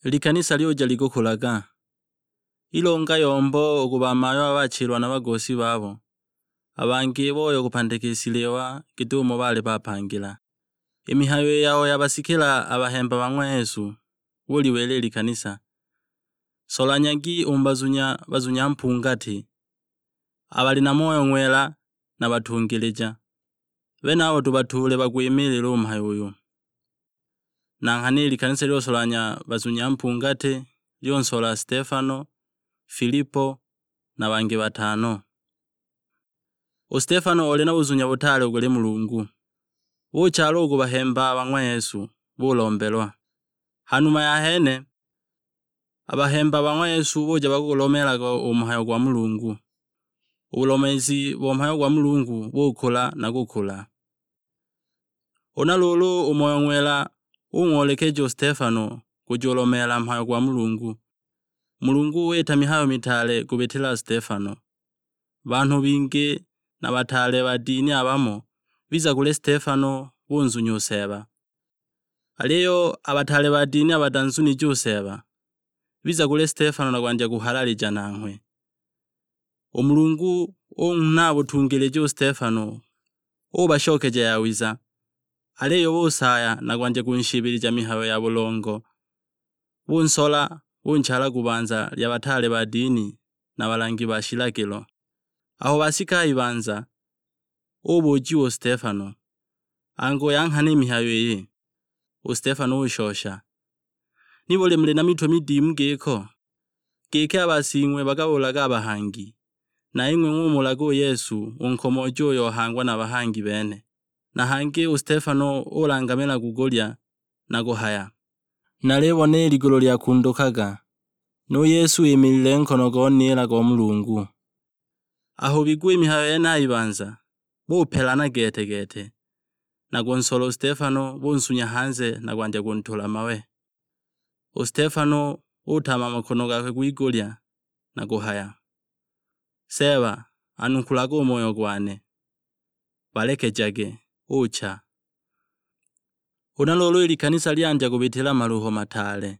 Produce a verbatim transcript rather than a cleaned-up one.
Likanisa lyuja likukulaga. Ilonga yombo u ku bamayo abachilwa na bagosi babo, a bangi boya u kupandika i shiliwa git'umo baali bapangila. I mihayo i yao yabasikila a bahemba ba ng'wa Yesu, buliwila i likanisa, "Solanyagi u mu bazunya bazunya mpungati, a bali na Moyo Ng'wela na batungilija. Benabo tubatuule bagwimiilile u mhayo uyu." Na nghana i likanisa lyosolanya bazunya mpungati, lyonsola Stefano, Filipo, na bangi batano. U Stefano oli na buzunya butaale u kuli Mulungu. Buchala u ku bahemba ba ng'wa Yesu, bulombelwa. Ha numa ya hene, a bahemba ba ng'wa Yesu buja bagulomeelaga u mhayo gwa Mulungu. U bulomeezi bo mhayo gwa Mulungu bukula na kukula. Huna luulu u Moyo Ng'wela ung'oolekeja u Stefano kujulomeela mhayo gwa Mulungu. Mulungu wita mihayo mitaale kubitila Stefano. Banhu bingi na bataale ba dini abamo biza kuli Stefano bunzunya u Seeba. Aliyo a bataale ba dini abatanzunije u Seeba, biza kuli Stefano na kwandya kuhalalija nanghwe. U Mulungu unghuna butungilija u Stefano, ubashokeja yawiza, aliyo busaaya na kwandya kunshibilija mihayo ya bulongo. Bunsola, bunchala ku banza lya bataale ba dini na balangi ba shilagilo. Aho basika ibanza, ubujiwa u Stefano, "Angu, ya nghana i mihayo iyi?" U Stefano ushosha, "Nibuli muli na mitwe midimu giko? Giki a basing'we bakabuulaga a bahangi, na ing'we ng'umuulaga u Yesu u nkomooji uyo ohangwa na bahangi bene." Na hangi u Stefano ulangamila kugulya na kuhaya, "Nalibona i ligulu lyakundukaga, nu Yesu wimilile nkono go nila go Mulungu." Aho bigwa i mihayo yene a ibanza, bupelana gete-gete, na kunsola u Stefano bunsunya hanze na kwandya kuntula mawe. U Stefano utama makono gakwe gwigulya na kuhaya, "Seeba, anukulaga u moyo gwane." "Balekejage," ucha. Huna luulu i likanisa lyandya kubitila maluho mataale,